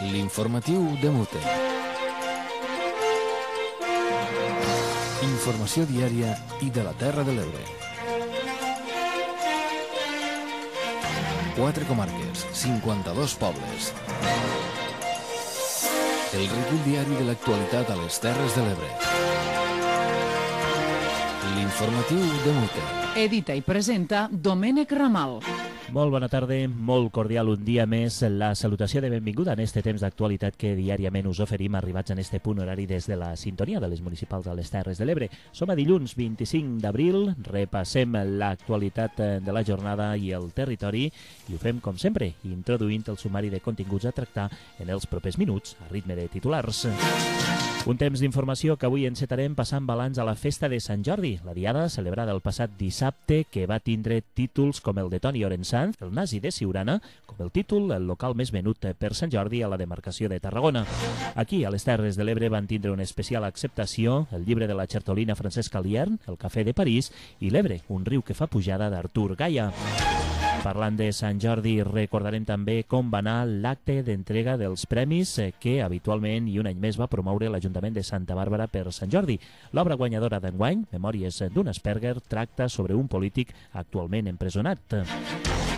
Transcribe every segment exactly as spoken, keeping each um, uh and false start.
L'informatiu de Mute. Informació diària i de la Terra de l'Ebre. Quatre comarques, cinquanta-dos pobles. El recull diari de l'actualitat a les Terres de l'Ebre. L'informatiu de Mute. Edita i presenta Domènec Ramal. Molt bona tarda, molt cordial un dia més. La salutació de benvinguda en este temps d'actualitat que diàriament us oferim arribats en este punt horari des de la sintonia de les municipals a les Terres de l'Ebre. Som a dilluns vint-i-cinc d'abril, repassem l'actualitat de la jornada i el territori i ho fem com sempre, introduint el sumari de continguts a tractar en els propers minuts a ritme de titulars. Un temps d'informació que avui encetarem passant balanç a la festa de Sant Jordi, la diada celebrada el passat dissabte que va tindre títols com el de Toni Orensanz, el nazi de Siurana, com el títol el local més venut per Sant Jordi a la demarcació de Tarragona. Aquí, a les Terres de l'Ebre, van tindre una especial acceptació el llibre de la Chertolina Francesc Aliern, el Cafè de París i l'Ebre, un riu que fa pujada d'Artur Gaia. Parlant de Sant Jordi, recordarem també com va anar l'acte d'entrega dels premis que habitualment i un any més va promoure l'Ajuntament de Santa Bàrbara per Sant Jordi. L'obra guanyadora d'enguany, Memòries d'un Asperger, tracta sobre un polític actualment empresonat.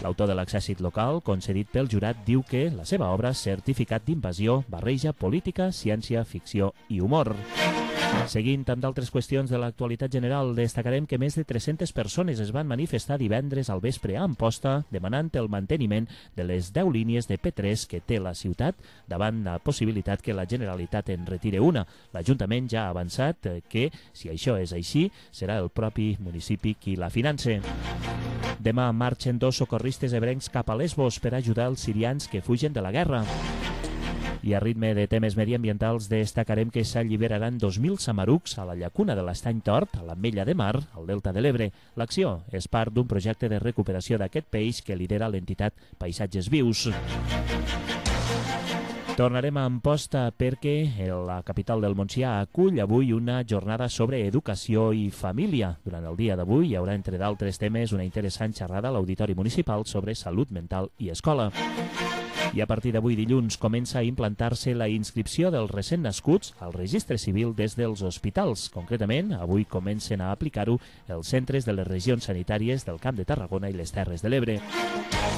L'autor de l'exèrcit local, concedit pel jurat, diu que la seva obra, Certificat d'invasió, barreja política, ciència, ficció i humor. Seguint amb d'altres qüestions de l'actualitat general, destacarem que més de tres-centes persones es van manifestar divendres al vespre a Amposta demanant el manteniment de les deu línies de P tres que té la ciutat davant la possibilitat que la Generalitat en retire una. L'Ajuntament ja ha avançat que, si això és així, serà el propi municipi qui la finança. Demà marxen dos socorristes ebrencs cap a Lesbos per ajudar els sirians que fugen de la guerra. I a ritme de temes mediambientals destacarem que s'alliberaran dos mil samarucs a la llacuna de l'Estany Tort, a l'Ametlla de Mar, al Delta de l'Ebre. L'acció és part d'un projecte de recuperació d'aquest peix que lidera l'entitat Paisatges Vius. Tornarem a Amposta perquè la capital del Montsià acull avui una jornada sobre educació i família. Durant el dia d'avui hi haurà, entre d'altres temes, una interessant xerrada a l'Auditori Municipal sobre salut mental i escola. I a partir d'avui dilluns comença a implantar-se la inscripció dels recent nascuts al registre civil des dels hospitals. Concretament, avui comencen a aplicar-ho els centres de les regions sanitàries del Camp de Tarragona i les Terres de l'Ebre.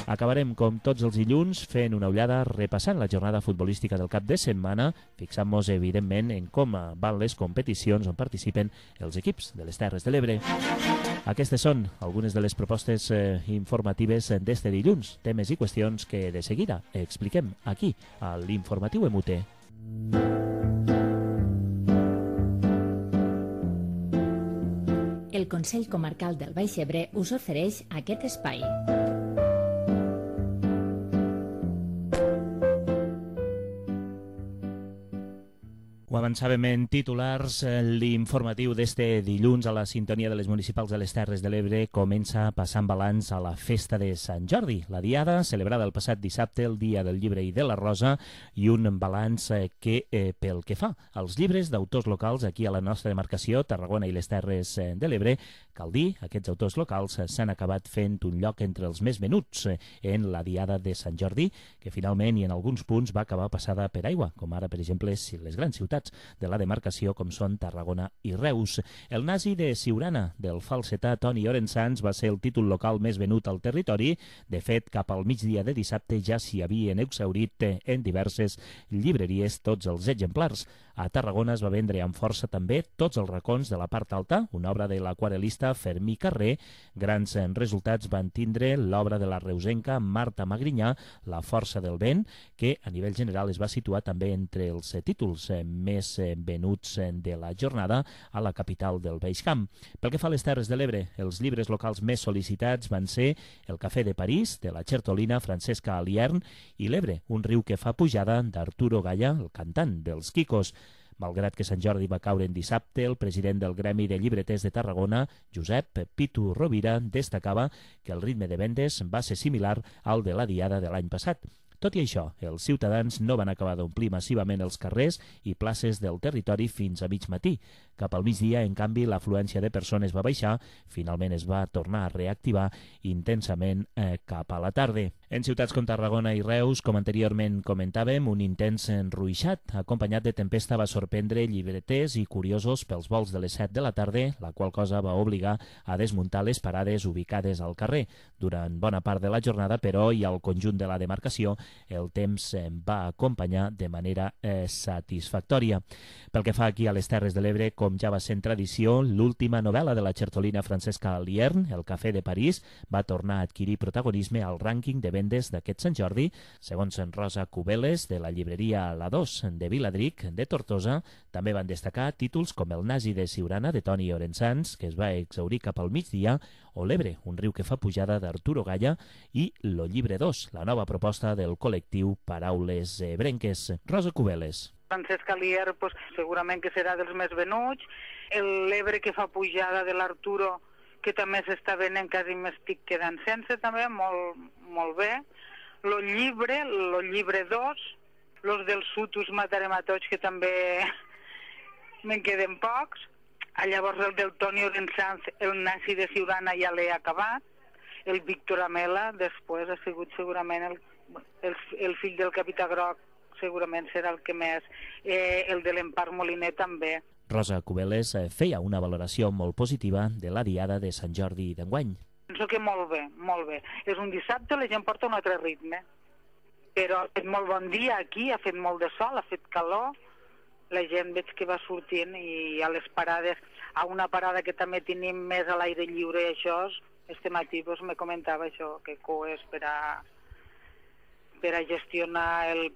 Acabarem, com tots els dilluns, fent una ullada repassant la jornada futbolística del cap de setmana, fixant-nos, evidentment, en com van les competicions on participen els equips de les Terres de l'Ebre. Aquestes són algunes de les propostes eh, informatives d'este dilluns, temes i qüestions que de seguida expliquem aquí, a l'Informatiu M U T. El Consell Comarcal del Baix Ebre us ofereix aquest espai. Ho avançàvem en titulars, l'informatiu d'este dilluns a la sintonia de les municipals de les Terres de l'Ebre comença passant balanç a la festa de Sant Jordi, la diada celebrada el passat dissabte, el dia del llibre i de la rosa, i un balanç que, eh, pel que fa als llibres d'autors locals aquí a la nostra demarcació, Tarragona i les Terres de l'Ebre, cal dir, aquests autors locals s'han acabat fent un lloc entre els més venuts en la diada de Sant Jordi, que finalment i en alguns punts va acabar passada per aigua, com ara, per exemple, les grans ciutats de la demarcació com són Tarragona i Reus. El nazi de Siurana, del falsetà Toni Orensanz, va ser el títol local més venut al territori. De fet, cap al migdia de dissabte ja s'hi havien exhaurit en diverses llibreries tots els exemplars. A Tarragona es va vendre amb força també Tots els racons de la part alta, una obra de l'aquarelista Fermí Carré. Grans resultats van tindre l'obra de la reusenca Marta Magrinyà, La força del vent, que a nivell general es va situar també entre els títols més venuts de la jornada a la capital del Baix Camp. Pel que fa a les Terres de l'Ebre, els llibres locals més sol·licitats van ser El Cafè de París, de la Chertolina Francesc Aliern, i l'Ebre, un riu que fa pujada, d'Arturo Gaia, el cantant dels Quicos. Malgrat que Sant Jordi va caure en dissabte, el president del Gremi de Llibreters de Tarragona, Josep Pitu Rovira, destacava que el ritme de vendes va ser similar al de la diada de l'any passat. Tot i això, els ciutadans no van acabar d'omplir massivament els carrers i places del territori fins a mig matí. Cap al migdia, en canvi, l'afluència de persones va baixar, finalment es va tornar a reactivar intensament eh, cap a la tarda. En ciutats com Tarragona i Reus, com anteriorment comentàvem, un intens enruixat, acompanyat de tempesta, va sorprendre llibreters i curiosos pels vols de les set de la tarda, la qual cosa va obligar a desmuntar les parades ubicades al carrer. Durant bona part de la jornada, però, i al conjunt de la demarcació, el temps va acompanyar de manera eh, satisfactòria. Pel que fa aquí a les Terres de l'Ebre, com ja va ser en tradició, l'última novel·la de la xertolina Francesca Liern, El cafè de París, va tornar a adquirir protagonisme al rànquing de vendes d'aquest Sant Jordi. Segons en Rosa Cubeles, de la llibreria La dos de Viladric, de Tortosa, també van destacar títols com El nazi de Siurana, de Toni Orensans, que es va exhaurir cap al migdia, o L'Ebre, un riu que fa pujada, d'Arturo Galla, i Lo llibre dos, la nova proposta del col·lectiu Paraules Ebrenques. Rosa Cubeles. Francesca Lier, pues, segurament que serà dels més venuts. L'Ebre que fa pujada de l'Arturo, que també s'està venent, quasi m'estic quedant sense, també, molt, molt bé. Lo llibre, lo llibre dos, los del Sutus matarem a tots, que també me'n queden pocs. Llavors el del Toni Orensans, El nazi de Siurana, ja l'he acabat. El Víctor Amela, després, ha sigut segurament el, el, el fill del Capità Groc, segurament serà el que més. Eh, el de l'Empar Moliner també. Rosa Cubeles feia una valoració molt positiva de la diada de Sant Jordi d'enguany. Penso que molt bé, molt bé. És un dissabte, la gent porta un altre ritme. Però ha fet molt bon dia aquí, ha fet molt de sol, ha fet calor. La gent veig que va sortint i a les parades, a una parada que també tenim més a l'aire lliure, això, este matí doncs, me comentava això, que coes per a, per a gestionar el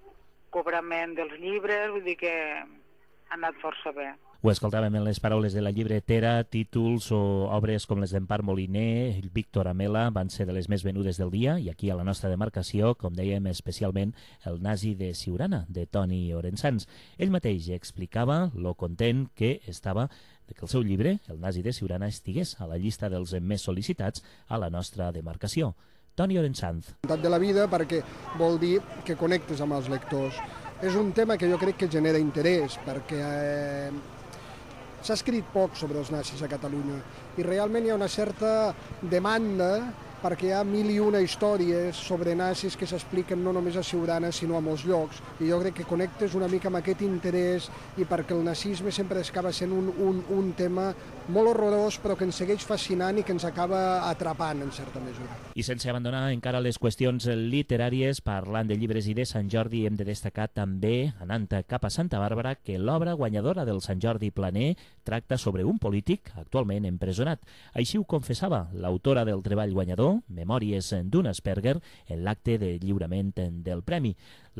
cobrament dels llibres, vull dir que ha anat força bé. Ho escoltàvem en les paraules de la llibretera. Títols o obres com les d'Empar Moliner, Víctor Amela, van ser de les més venudes del dia, i aquí a la nostra demarcació, com dèiem, especialment El nazi de Siurana, de Toni Orensans. Ell mateix explicava lo content que estava de que el seu llibre, El nazi de Siurana, estigués a la llista dels més sol·licitats a la nostra demarcació. Toni Orensans. De la vida, perquè vol dir que connectes amb els lectors. És un tema que jo crec que genera interès, perquè eh, s'ha escrit poc sobre els nazis a Catalunya i realment hi ha una certa demanda perquè hi ha mil i una històries sobre nazis que s'expliquen no només a Siurana sinó a molts llocs, i jo crec que connectes una mica amb aquest interès, i perquè el nazisme sempre acaba sent un, un, un tema molt horrorós però que ens segueix fascinant i que ens acaba atrapant en certa mesura. I sense abandonar encara les qüestions literàries, parlant de llibres i de Sant Jordi, hem de destacar també, anant cap a Santa Bàrbara, que l'obra guanyadora del Sant Jordi Planer tracta sobre un polític actualment empresonat. Així ho confessava l'autora del treball guanyador, Memòries d'un Asperger, en l'acte de lliurament del premi.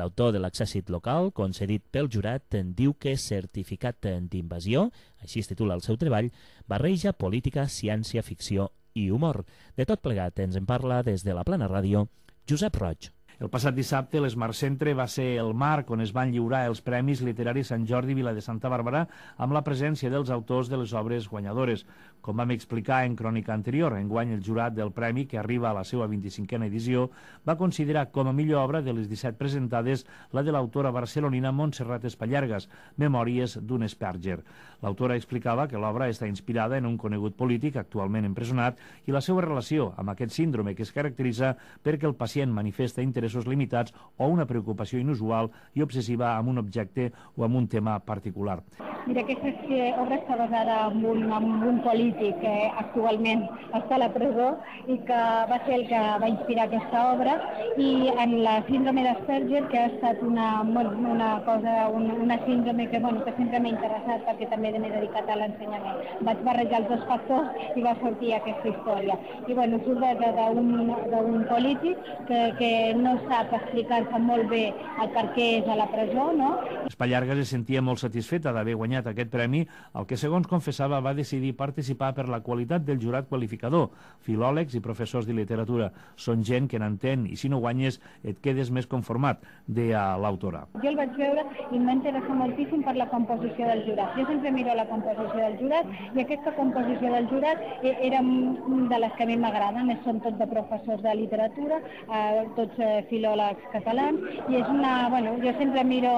L'autor de l'exèrcit local, concedit pel jurat, diu que Certificat d'invasió, així es titula el seu treball, barreja política, ciència, ficció i humor. De tot plegat ens en parla des de la Plana Ràdio, Josep Roig. El passat dissabte, l'Smart Centre va ser el marc on es van lliurar els Premis Literaris Sant Jordi Vila de Santa Bàrbara amb la presència dels autors de les obres guanyadores. Com vam explicar en crònica anterior, enguany el jurat del premi, que arriba a la seva vint-i-cinquena edició, va considerar com a millor obra de les disset presentades la de l'autora barcelonina Montserrat Espallargas, Memòries d'un Asperger. L'autora explicava que l'obra està inspirada en un conegut polític actualment empresonat i la seva relació amb aquest síndrome que es caracteritza perquè el pacient manifesta interessos limitats o una preocupació inusual i obsessiva amb un objecte o amb un tema particular. Mira, aquesta obra està basada en un, en un polític que actualment està a la presó i que va ser el que va inspirar aquesta obra, i en la síndrome d'Asperger, que ha estat una, una cosa, una, una síndrome que, bueno, que sempre m'ha interessat perquè també m'he dedicat a l'ensenyament. Vaig barrejar els dos factors i va sortir aquesta història. I bueno, surt d'un polític que, que no sap explicar-se molt bé el per què és a la presó, no? Espallargas es sentia molt satisfeta d'haver guanyat aquest premi, el que, segons confessava, va decidir participar per la qualitat del jurat qualificador. Filòlegs i professors de literatura són gent que n'entén i si no guanyes et quedes més conformat, deia l'autora. Jo el vaig veure i em va interessar moltíssim per la composició del jurat. Jo sempre miro la composició del jurat i aquesta composició del jurat era de les que a mi m'agraden. Són tots de professors de literatura, eh, tots eh, filòlegs catalans, i és una, bueno, jo sempre miro,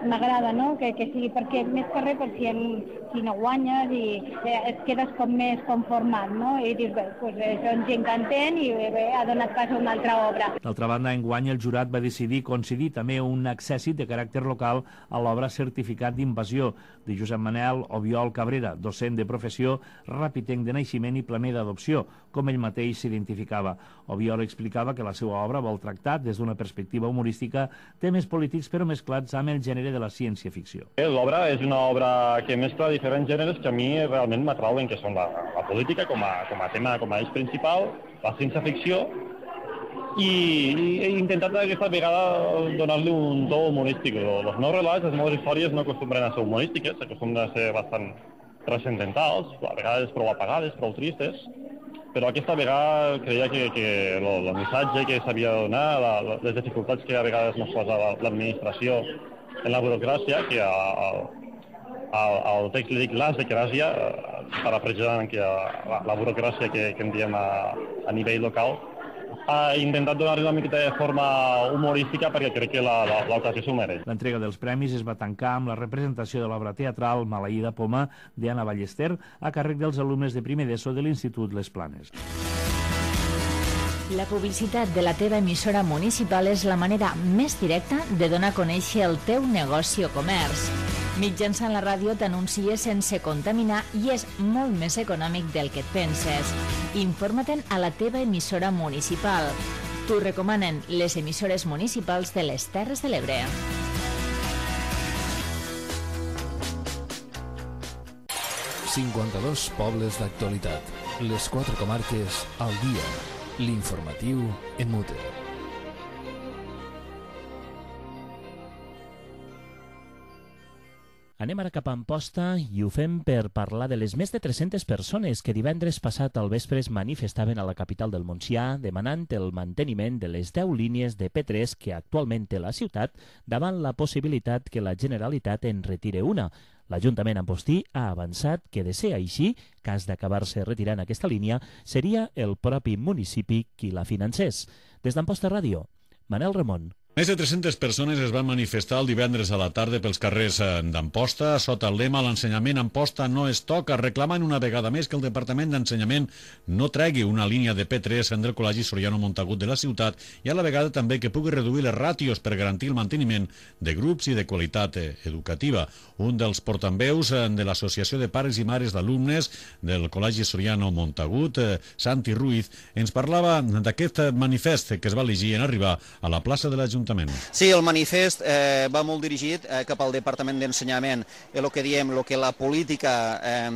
m'agrada, no?, que, que sigui, perquè més que res, per si, en, si no guanyes i eh, et quedes com més conformat, no?, i dius, bé, pues, eh, són gent que entén i bé, ha donat pas a una altra obra. D'altra banda, enguany el jurat va decidir concedir també un accèssit de caràcter local a l'obra Certificat d'Invasió de Josep Manel Obiol Cabrera, docent de professió, rapitenc de naixement i planer d'adopció, com ell mateix s'identificava. Obiol explicava que la seva obra vol tractar, des d'una perspectiva humorística, temes polítics però mesclats amb el gènere de la ciència-ficció. L'obra és una obra que mescla diferents gèneres que a mi realment m'atrauen, que són la, la política com a, com a tema, com a eix principal, la ciència-ficció, i, i he intentat aquesta vegada donar-li un to humorístic. Els meus relats, les meves històries no acostumbren a ser humorístiques, acostumbren a ser bastant transcendentals, a vegades prou apagades, prou tristes, però aquesta vegada creia que, que el, el missatge que s'havia de donar, la, les dificultats que a vegades ens posa l'administració en la burocràcia, que al, al, al text li dic l'asdecràcia, parafrasejant que la, la burocràcia que, que en diem a, a nivell local, ha intentat donar-li una miqueta de forma humorística perquè crec que l'ocasió s'ho mereix. L'entrega dels premis es va tancar amb la representació de l'obra teatral Maleïda Poma d'Anna Ballester a càrrec dels alumnes de primer d'ESO de l'Institut Les Planes. La publicitat de la teva emissora municipal és la manera més directa de donar a conèixer el teu negoci o comerç. Mitjançant la ràdio t'anuncies sense contaminar i és molt més econòmic del que et penses. Informa-te'n a la teva emissora municipal. T'ho recomanen les emissores municipals de les Terres de l'Ebre. cinquanta-dos pobles d'actualitat. Les quatre comarques al dia. L'informatiu en mute. Anem ara cap a Amposta i ho fem per parlar de les més de tres-centes persones que divendres passat al vespre es manifestaven a la capital del Montsià demanant el manteniment de les deu línies de P tres que actualment té la ciutat davant la possibilitat que la Generalitat en retire una. L'Ajuntament ampostí ha avançat que, de ser així, cas d'acabar-se retirant aquesta línia, seria el propi municipi qui la financés. Des d'Amposta Ràdio, Manel Ramon. Més de tres-centes persones es van manifestar el divendres a la tarda pels carrers d'Amposta sota el lema «L'ensenyament a Amposta no es toca», reclamant una vegada més que el Departament d'Ensenyament no tregui una línia de P tres del Col·legi Soriano Montagut de la ciutat i a la vegada també que pugui reduir les ràtios per garantir el manteniment de grups i de qualitat educativa. Un dels portaveus de l'Associació de Pares i Mares d'Alumnes del Col·legi Soriano Montagut, Santi Ruiz, ens parlava d'aquest manifest que es va llegir en arribar a la plaça de l'Ajuntament. Sí, el manifest eh, va molt dirigit eh, cap al Departament d'Ensenyament, el que diem, el que la política eh,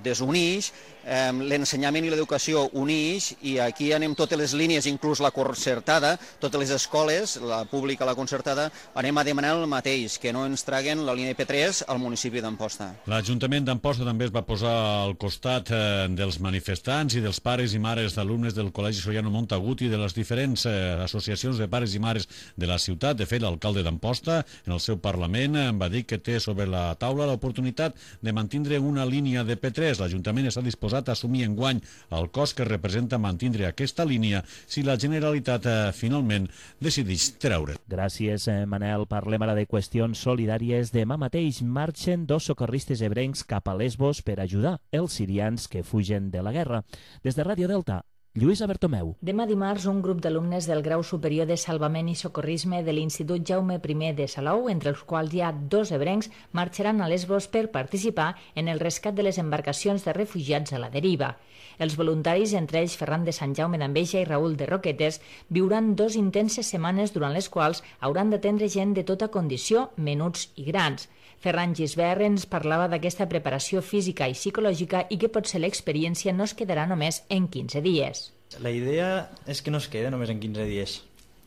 desuneix, eh, l'ensenyament i l'educació uneix, i aquí anem totes les línies, inclús la concertada, totes les escoles, la pública, la concertada, anem a demanar el mateix, que no ens traguen la línia P tres al municipi d'Amposta. L'Ajuntament d'Amposta també es va posar al costat eh, dels manifestants i dels pares i mares d'alumnes del Col·legi Soriano Montagut i de les diferents eh, associacions de pares i mares de la ciutat. De fet, l'alcalde d'Amposta, en el seu Parlament, va dir que té sobre la taula l'oportunitat de mantindre una línia de P tres. L'Ajuntament està disposat a assumir enguany el cost que representa mantindre aquesta línia si la Generalitat eh, finalment decideix treure. Gràcies, eh, Manel. Parlem ara de qüestions solidàries. Demà mateix marxen dos socorristes ebrencs cap a Lesbos per ajudar els sirians que fugen de la guerra. Des de Ràdio Delta, Lluïsa Bertomeu. Demà dimarts, un grup d'alumnes del Grau Superior de Salvament i Socorrisme de l'Institut Jaume I de Salou, entre els quals hi ha dos ebrencs, marxaran a Lesbos per participar en el rescat de les embarcacions de refugiats a la deriva. Els voluntaris, entre ells Ferran de Sant Jaume d'Enveja i Raül de Roquetes, viuran dos intenses setmanes durant les quals hauran d'atendre gent de tota condició, menuts i grans. Ferran Gisbert ens parlava d'aquesta preparació física i psicològica i que potser l'experiència no es quedarà només en quinze dies. La idea és que no es quede només en quinze dies.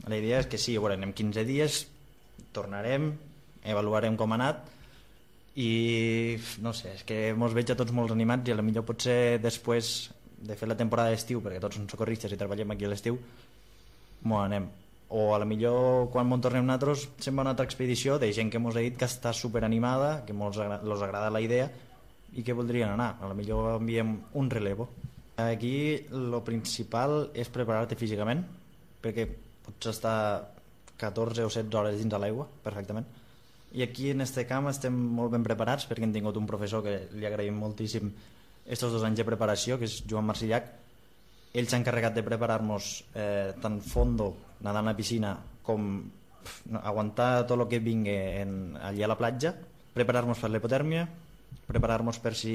La idea és que sí, bueno, en quinze dies tornarem, avaluarem com ha anat i no sé, és que mos veig a tots molt animats i potser potser després de fer la temporada d'estiu, perquè tots som socorristes i treballem aquí a l'estiu, m'ho anem. O a la millor quan m'on tornem nosaltres se'n va una altra expedició de gent que mos ha dit que està superanimada, que mos los agrada la idea i que voldrien anar. A la millor enviem un relevo. Aquí lo principal és preparar-te físicament, perquè pots estar catorze o setze hores dins de l'aigua, perfectament. I aquí en este camp estem molt ben preparats perquè hem tingut un professor que li agraïm moltíssim estos dos anys de preparació, que és Joan Marcillac. Ell s'ha encarregat de preparar-nos eh, tant fondo, nedar a la piscina, com pf, aguantar tot el que vingui en, allà a la platja, preparar-nos per l'hipotèrmia, preparar-nos per si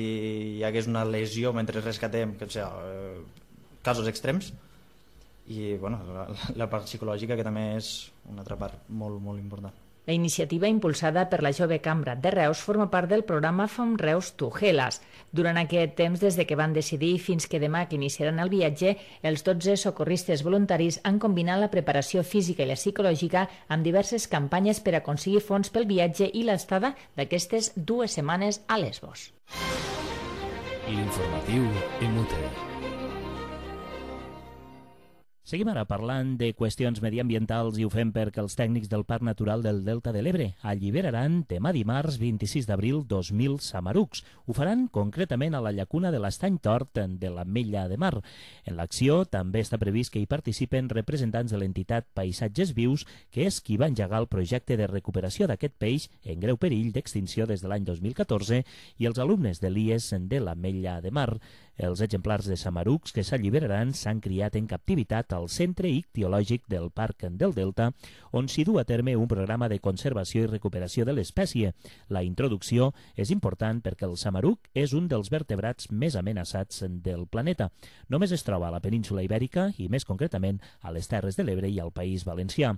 hi hagués una lesió mentre rescatem, que sigui, eh, casos extrems, i bueno, la, la part psicològica, que també és una altra part molt, molt important. La iniciativa impulsada per la Jove Cambra de Reus forma part del programa From Reus to Hellas. Durant aquest temps, des de que van decidir fins que demà que iniciaran el viatge, els dotze socorristes voluntaris han combinat la preparació física i la psicològica amb diverses campanyes per aconseguir fons pel viatge i l'estada d'aquestes dues setmanes a Lesbos. L'informatiu Emute. Seguim ara parlant de qüestions mediambientals i ho fem perquè els tècnics del Parc Natural del Delta de l'Ebre alliberaran demà dimarts vint-i-sis d'abril dos mil samarucs. Ho faran concretament a la llacuna de l'Estany Tort de l'Ametlla de Mar. En l'acció també està previst que hi participen representants de l'entitat Paisatges Vius, que és qui va engegar el projecte de recuperació d'aquest peix en greu perill d'extinció des de l'any dos mil catorze, i els alumnes de l'I E S de l'Ametlla de Mar. Els exemplars de samarucs que s'alliberaran s'han criat en captivitat al Centre Ictiològic del Parc del Delta, on s'hi du a terme un programa de conservació i recuperació de l'espècie. La introducció és important perquè el samaruc és un dels vertebrats més amenaçats del planeta. Només es troba a la península Ibèrica i, més concretament, a les Terres de l'Ebre i al País Valencià.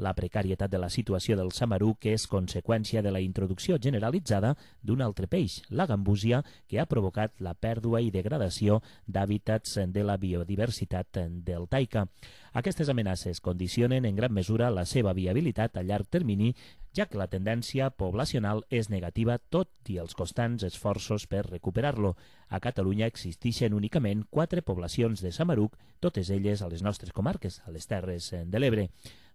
La precarietat de la situació del samaruc és conseqüència de la introducció generalitzada d'un altre peix, la gambúsia, que ha provocat la pèrdua i degradació d'hàbitats de la biodiversitat del Taika. Aquestes amenaces condicionen en gran mesura la seva viabilitat a llarg termini, ja que la tendència poblacional és negativa tot i els constants esforços per recuperar-lo. A Catalunya existeixen únicament quatre poblacions de samaruc, totes elles a les nostres comarques, a les Terres de l'Ebre.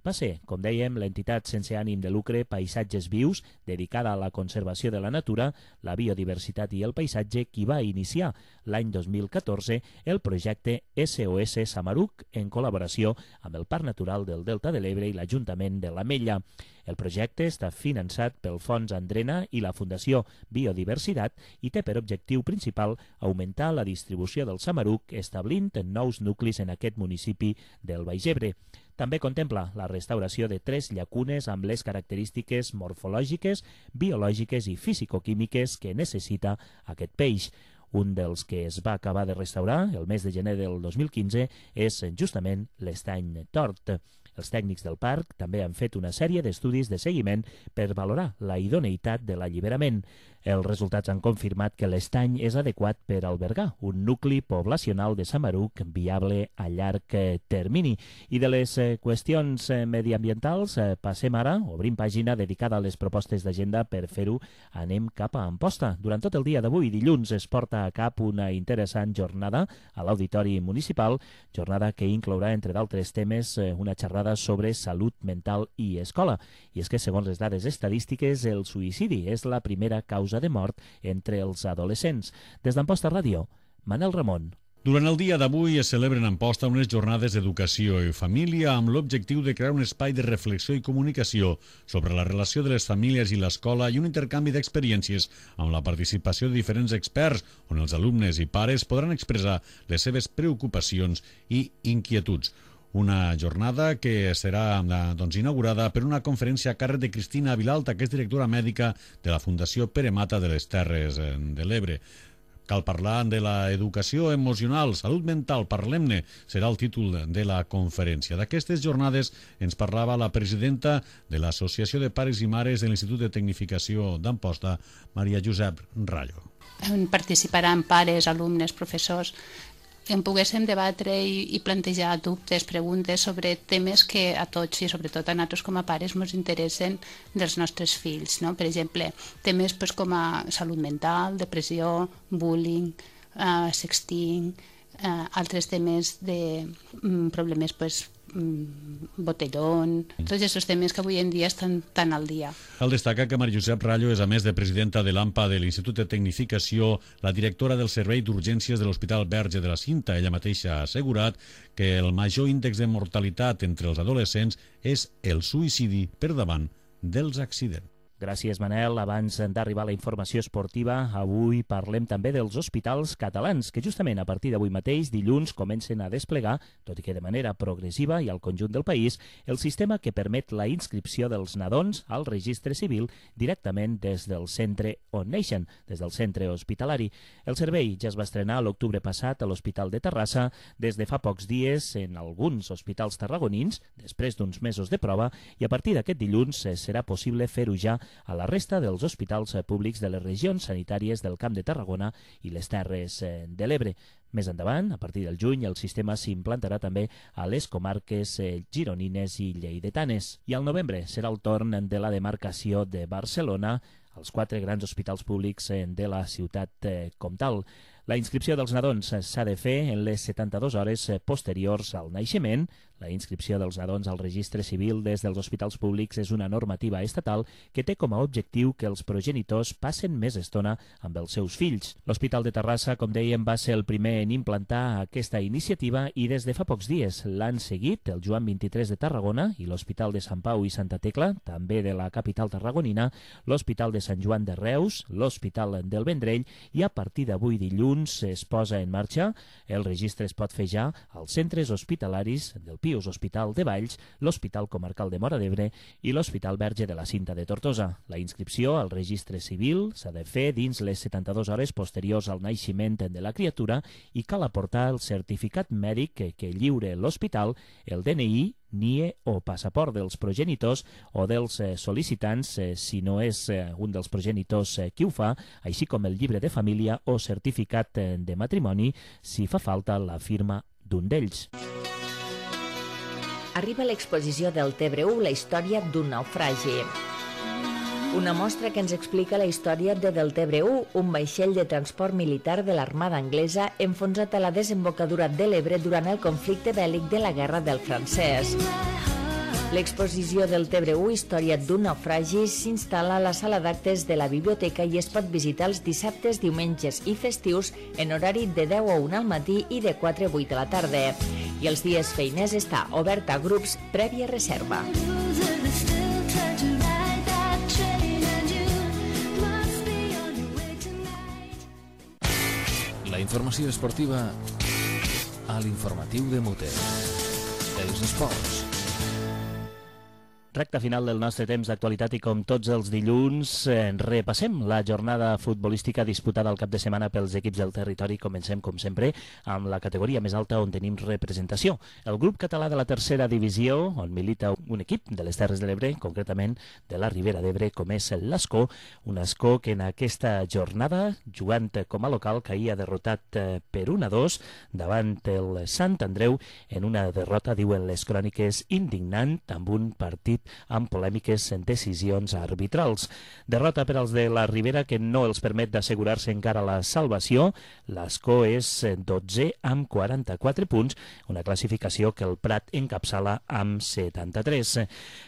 Va ser, com dèiem, l'entitat sense ànim de lucre Paisatges Vius, dedicada a la conservació de la natura, la biodiversitat i el paisatge, qui va iniciar l'any dos mil catorze el projecte S O S Samaruc en col·laboració amb el Parc Natural del Delta de l'Ebre i l'Ajuntament de l'Ametlla. El projecte està finançat pel Fons Andrena i la Fundació Biodiversitat i té per objectiu principal augmentar la distribució del samaruc establint nous nuclis en aquest municipi del Baix Ebre. També contempla la restauració de tres llacunes amb les característiques morfològiques, biològiques i fisicoquímiques que necessita aquest peix. Un dels que es va acabar de restaurar el mes de gener del dos mil quinze és justament l'Estany Tort. Els tècnics del parc també han fet una sèrie d'estudis de seguiment per valorar la idoneïtat de l'alliberament. Els resultats han confirmat que l'estany és adequat per albergar un nucli poblacional de samaruc viable a llarg termini. I de les qüestions mediambientals passem ara, obrim pàgina dedicada a les propostes d'agenda. Per fer-ho anem cap a Amposta. Durant tot el dia d'avui, dilluns, es porta a cap una interessant jornada a l'Auditori Municipal, jornada que inclourà, entre d'altres temes, una xerrada sobre salut mental i escola. I és que, segons les dades estadístiques, el suïcidi és la primera causa de mort entre els adolescents. Des d'Amposta Ràdio, Manel Ramon. Durant el dia d'avui es celebren a Amposta unes jornades d'educació i família amb l'objectiu de crear un espai de reflexió i comunicació sobre la relació de les famílies i l'escola i un intercanvi d'experiències amb la participació de diferents experts, on els alumnes i pares podran expressar les seves preocupacions i inquietuds. Una jornada que serà doncs, inaugurada per una conferència a càrrec de Cristina Vilalta, que és directora mèdica de la Fundació Pere Mata de les Terres de l'Ebre. Cal parlar de l'educació emocional, salut mental, parlem-ne, serà el títol de la conferència. D'aquestes jornades ens parlava la presidenta de l'Associació de Pares i Mares de l'Institut de Tecnificació d'Amposta, Maria Josep Rallo. Participaran pares, alumnes, professors, en poguéssim debatre i, i plantejar dubtes, preguntes sobre temes que a tots i sobretot a nosaltres com a pares ens interessen dels nostres fills, no? Per exemple, temes pues, com a salut mental, depressió, bullying, uh, sexting, uh, altres temes de um, problemes pues, botellón, tots aquests temes que avui en dia estan tan al dia. Cal destacar que Maria Josep Rallo és, a més de presidenta de l'AMPA de l'Institut de Tecnificació, la directora del Servei d'Urgències de l'Hospital Verge de la Cinta. Ella mateixa ha assegurat que el major índex de mortalitat entre els adolescents és el suïcidi per davant dels accidents. Gràcies, Manel. Abans d'arribar a la informació esportiva, avui parlem també dels hospitals catalans, que justament a partir d'avui mateix, dilluns, comencen a desplegar, tot i que de manera progressiva i al conjunt del país, el sistema que permet la inscripció dels nadons al registre civil directament des del centre on neixen, des del centre hospitalari. El servei ja es va estrenar l'octubre passat a l'Hospital de Terrassa, des de fa pocs dies en alguns hospitals tarragonins, després d'uns mesos de prova, i a partir d'aquest dilluns serà possible fer-ho ja a la resta dels hospitals públics de les regions sanitàries del Camp de Tarragona i les Terres de l'Ebre. Més endavant, a partir del juny, el sistema s'implantarà també a les comarques gironines i lleidetanes. I al novembre serà el torn de la demarcació de Barcelona als quatre grans hospitals públics de la ciutat comtal. La inscripció dels nadons s'ha de fer en les setanta-dues hores posteriors al naixement. La inscripció dels nadons al registre civil des dels hospitals públics és una normativa estatal que té com a objectiu que els progenitors passen més estona amb els seus fills. L'Hospital de Terrassa, com dèiem, va ser el primer en implantar aquesta iniciativa i des de fa pocs dies l'han seguit el Joan vint-i-tres de Tarragona i l'Hospital de Sant Pau i Santa Tecla, també de la capital tarragonina, l'Hospital de Sant Joan de Reus, l'Hospital del Vendrell i a partir d'avui dilluns es posa en marxa. El registre es pot fer ja als centres hospitalaris del Pius Hospital de Valls, l'Hospital Comarcal de Móra d'Ebre i l'Hospital Verge de la Cinta de Tortosa. La inscripció al registre civil s'ha de fer dins les setanta-dues hores posteriors al naixement de la criatura i cal aportar el certificat mèdic que, que lliure l'hospital, el D N I, N I E o passaport dels progenitors o dels eh, sol·licitants, eh, si no és eh, un dels progenitors eh, qui ho fa, així com el llibre de família o certificat eh, de matrimoni, si fa falta la firma d'un d'ells. Arriba l'exposició del Tebre u, la història d'un naufragi. Una mostra que ens explica la història de Deltebre u, un vaixell de transport militar de l'Armada anglesa enfonsat a la desembocadura de l'Ebre durant el conflicte bèl·lic de la Guerra del Francès. L'exposició del Tebre u, història d'un naufragi, s'instal·la a la sala d'actes de la biblioteca i es pot visitar els dissabtes, diumenges i festius en horari de deu a una al matí i de quatre a vuit a la tarda. I els dies feiners està obert a grups prèvia reserva. La informació esportiva a l'informatiu de Muter. Els esports. Recta final del nostre temps d'actualitat i com tots els dilluns eh, repassem la jornada futbolística disputada al cap de setmana pels equips del territori. Comencem, com sempre, amb la categoria més alta on tenim representació. El grup català de la tercera divisió, on milita un equip de les Terres de l'Ebre, concretament de la Ribera d'Ebre, com és l'Escó, un Escó que en aquesta jornada, jugant com a local, caïa derrotat eh, per un a dos davant el Sant Andreu en una derrota, diuen les cròniques, indignant, amb un partit amb polèmiques en decisions arbitrals. Derrota per als de la Ribera que no els permet d'assegurar-se encara la salvació. L'Escó és dotze amb quaranta-quatre punts, una classificació que el Prat encapçala amb setanta-tres.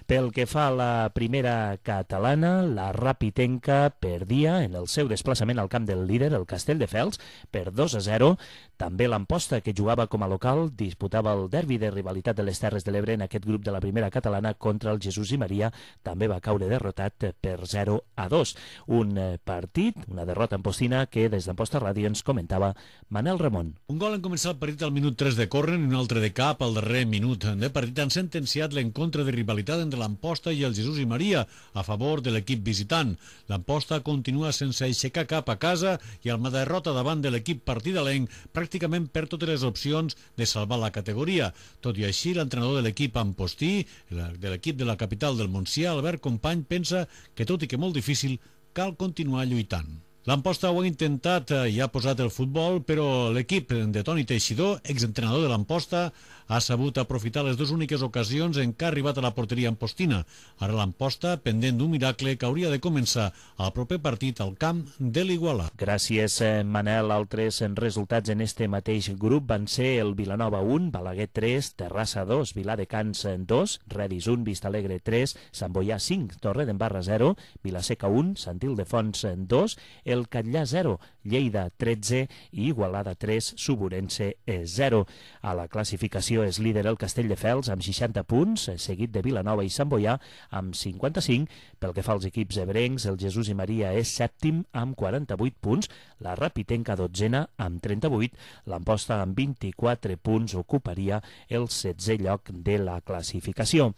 Pel que fa a la primera catalana, la Rapitenca perdia en el seu desplaçament al camp del líder, el Castelldefels, per dos a zero. També l'Amposta, que jugava com a local, disputava el derbi de rivalitat de les Terres de l'Ebre en aquest grup de la primera catalana contra el Jesús i Maria, també va caure derrotat per zero a dos. Un partit, una derrota ampostina que des d'Amposta Ràdio ens comentava Manel Ramon. Un gol en començar el partit al minut tres de córner i un altre de cap al darrer minut de partit han sentenciat l'encontre de rivalitat entre l'Amposta i el Jesús i Maria a favor de l'equip visitant. L'Amposta continua sense aixecar cap a casa i amb la derrota davant de l'equip partidalenc pràcticament perd totes les opcions de salvar la categoria. Tot i així, l'entrenador de l'equip ampostí, de l'equip de la capital del Montsià, Albert Company, pensa que, tot i que molt difícil, cal continuar lluitant. L'Amposta ho ha intentat i ha posat el futbol, però l'equip de Toni Teixidor, exentrenador de l'Amposta, ha sabut aprofitar les dues úniques ocasions en què ha arribat a la porteria ampostina. Ara l'Amposta, pendent d'un miracle que hauria de començar el proper partit al camp de l'Igualà. Gràcies, Manel. Altres resultats en este mateix grup van ser el Vilanova un, Balaguer tres, Terrassa dos, Viladecans dos, Redis un, Vistalegre tres, Sant Boià cinc, Torredembarra zero, Vilaseca un, Sant Ildefons dos, el Catllà zero, Lleida tretze i Igualada tres, Suburense zero. A la classificació és líder el Castelldefels amb seixanta punts, seguit de Vilanova i Sant Boià amb cinquanta-cinc. Pel que fa als equips ebrencs, el Jesús i Maria és sèptim amb quaranta-vuit punts, la Rapitenca dotzena amb trenta-vuit, l'Amposta amb vint-i-quatre punts ocuparia el setzè lloc de la classificació.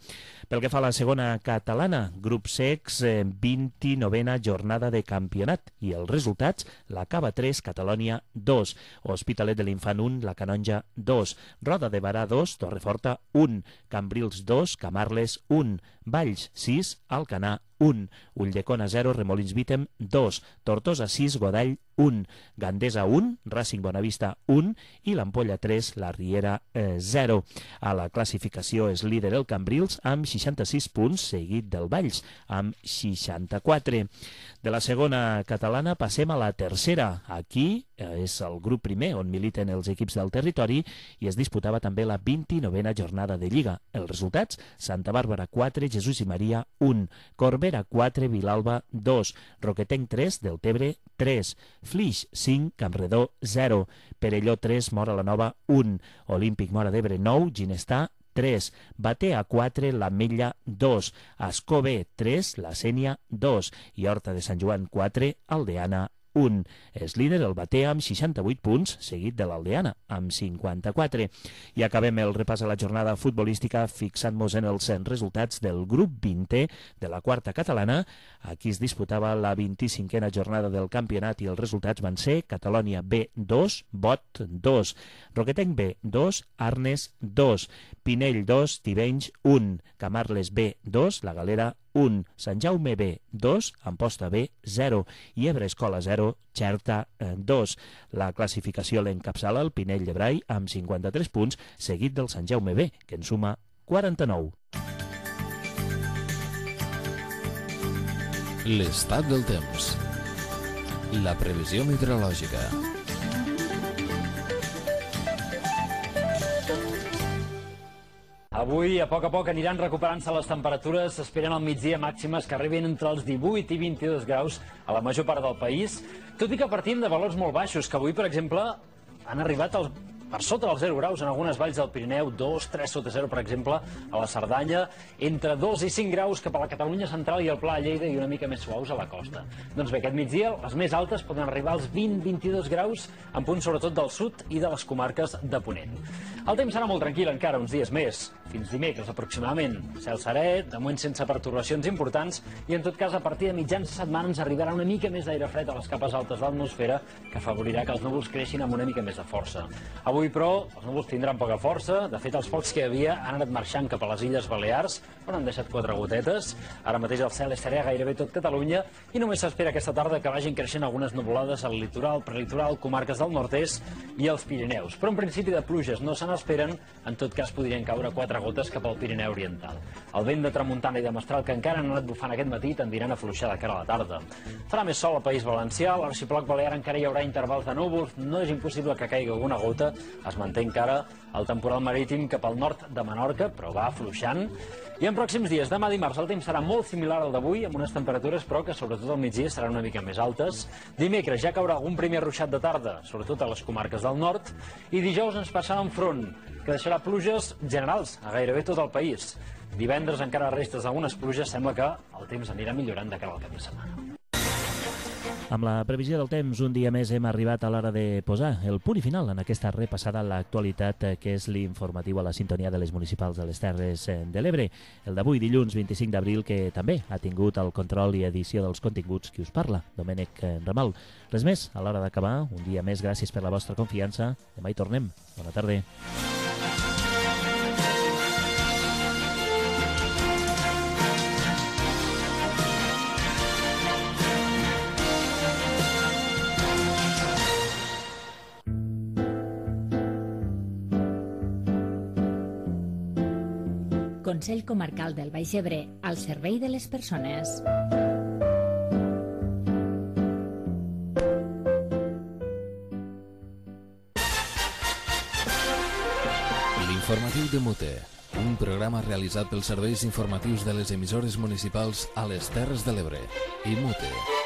Pel que fa a la segona catalana, grup secs, vint-i-novena jornada de campionat i els resultats, la Cava tres, Catalònia dos, Hospitalet de l'Infant un, la Canonja dos, Roda de Barà dos, Torreforta un, Cambrils dos, Camarles un, Valls sis, Alcanar un, Ulldecona zero, Remolins Vítem dos, Tortosa sis, Godall un, Gandesa un, Racing Bonavista un i l'Ampolla tres, la Riera zero. A la classificació és líder el Cambrils amb seixanta-sis punts, seguit del Valls amb seixanta-quatre. De la segona catalana passem a la tercera. Aquí és el grup primer on militen els equips del territori i es disputava també la vint-i-novena jornada de Lliga. Els resultats: Santa Bàrbara quatre, Jesús i Maria un, Corbera quatre, Vilalba dos, Roquetenc tres, Deltebre tres, Flix cinc, Campredó zero, Perelló tres, Móra la Nova un, Olímpic Móra d'Ebre nou, Ginestà tres, Batea quatre, l'Ametlla dos, Escobé tres, la Sénia dos i Horta de Sant Joan quatre, Aldeana un. És líder el Batea amb seixanta-vuit punts, seguit de l'Aldeana amb cinquanta-quatre. I acabem el repàs a la jornada futbolística fixant-nos en els resultats del grup vintè de la quarta catalana. Aquí es disputava la vint-i-cinquena jornada del campionat i els resultats van ser Catalònia B dos, Bot dos, Roquetenc B dos, Arnes dos, Pinell dos, Tivenys un, Camarles B dos, La Galera un, Sant Jaume B dos, Amposta B zero i Ebre Escola zero, Xerta dos. La classificació l'encapçala el Pinell de Brai amb cinquanta-tres punts, seguit del Sant Jaume B, que en suma quaranta-nou. L'estat del temps. La previsió meteorològica. Avui, a poc a poc, aniran recuperant-se les temperatures. S'esperen al migdia màximes que arribin entre els divuit i vint-i-dos graus a la major part del país, tot i que partim de valors molt baixos, que avui, per exemple, han arribat als per sota dels zero graus en algunes valls del Pirineu, dos, tres sota zero, per exemple, a la Cerdanya, entre dos i cinc graus cap a la Catalunya central i el Pla de Lleida i una mica més suaus a la costa. Doncs bé, aquest migdia les més altes poden arribar als vint a vint-i-dos graus, en punts sobretot del sud i de les comarques de Ponent. El temps serà molt tranquil encara uns dies més, fins dimecres aproximadament. Cel serè, de moment sense pertorbacions importants, i en tot cas a partir de mitjans de setmana ens arribarà una mica més d'aire fred a les capes altes de l'atmosfera, que afavorirà que els núvols creixin amb una mica més de força. Avui, però, els núvols tindran poca força. De fet, els focs que hi havia han anat marxant cap a les Illes Balears, on han deixat quatre gotetes. Ara mateix el cel és serè a gairebé tot Catalunya i només s'espera aquesta tarda que vagin creixent algunes nuvolades al litoral, prelitoral, comarques del nord-est i els Pirineus. Però en principi de pluges no se n'esperen, en tot cas podrien caure quatre gotes cap al Pirineu oriental. El vent de tramuntana i de mestral que encara han anat bufant aquest matí tendiran a afluixar de cara a la tarda. Farà més sol al País Valencià, a l'arxipèlag balear encara hi haurà intervals de núvols, no és impossible que caigui alguna gota. Es manté encara el temporal marítim cap al nord de Menorca, però va afluixant. I en pròxims dies, demà dimarts, el temps serà molt similar al d'avui, amb unes temperatures, però que sobretot al migdia seran una mica més altes. Dimecres ja caurà algun primer ruixat de tarda, sobretot a les comarques del nord, i dijous ens passarà en front, que deixarà pluges generals a gairebé tot el país. Divendres encara restes d'algunes pluges, sembla que el temps anirà millorant de cara al cap de setmana. Amb la previsió del temps, un dia més hem arribat a l'hora de posar el punt i final en aquesta repassada a l'actualitat, que és l'informatiu a la sintonia de les municipals de les Terres de l'Ebre. El d'avui, dilluns vint-i-cinc d'abril, que també ha tingut el control i edició dels continguts qui us parla, Domènec Ramal. Res més, a l'hora d'acabar, un dia més, gràcies per la vostra confiança. Demà hi tornem. Bona tarda. Consell Comarcal del Baix Ebre, al servei de les persones. L'informatiu de Mute, un programa realitzat pels serveis informatius de les emissores municipals a les Terres de l'Ebre i Mute.